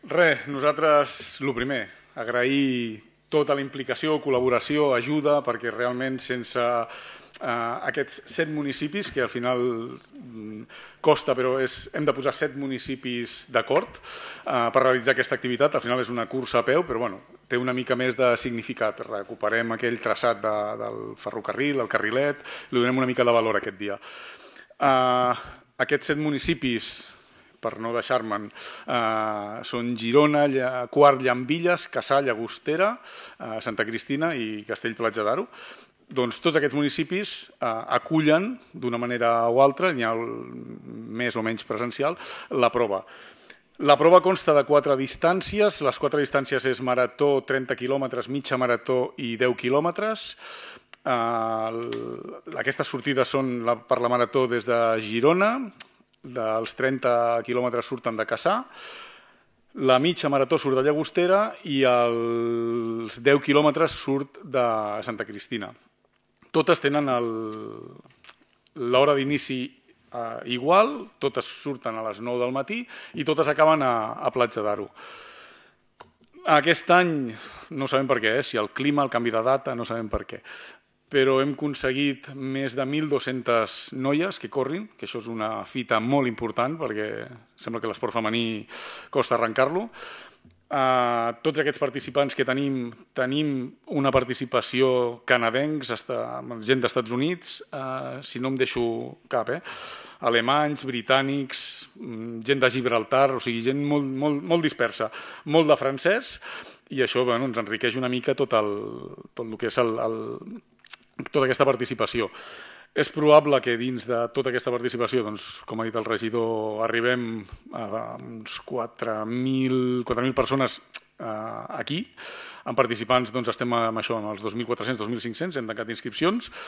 Res, nosaltres, el primer, agrair tota la implicació, col·laboració, ajuda, perquè realment sense aquests 7 municipis, que al final costa, però hem de posar 7 municipis d'acord per realitzar aquesta activitat. Al final és una cursa a peu, però bueno, té una mica més de significat. Recuperem aquell traçat del ferrocarril, el carrilet, li donem una mica de valor aquest dia. Aquests 7 municipis, per no deixar-me'n, són Girona, Quart, Llambilles, Cassà, Llagostera, Santa Cristina i Castell-Platja d'Aro. Doncs tots aquests municipis acullen d'una manera o altra, n'hi ha més o menys presencial, la prova. La prova consta de 4 distàncies, les 4 distàncies és marató, 30 quilòmetres, mitja marató i 10 quilòmetres. Aquestes sortides són per la marató des de Girona, dels 30 quilòmetres surten de Cassà, la mitja marató surt de Llagostera i els 10 quilòmetres surt de Santa Cristina. Totes tenen l'hora d'inici igual, totes surten a les 9 del matí i totes acaben a Platja d'Aro. Aquest any no sabem per què, si el clima, el canvi de data, no sabem per què, però hem aconseguit més de 1.200 noies que corrin, que això és una fita molt important perquè sembla que l'esport femení costa arrencar-lo. Tots aquests participants que tenim una participació canadencs, gent d'Estats Units, si no em deixo cap, alemanys, britànics, gent de Gibraltar, o sigui, gent molt dispersa, molt de francès, i això ens enriqueix una mica tot el que és tota aquesta participació. És probable que dins de tota aquesta participació, com ha dit el regidor, arribem a uns 4.000 persones aquí. En participants estem amb això, amb els 2.400, 2.500, hem tancat inscripcions.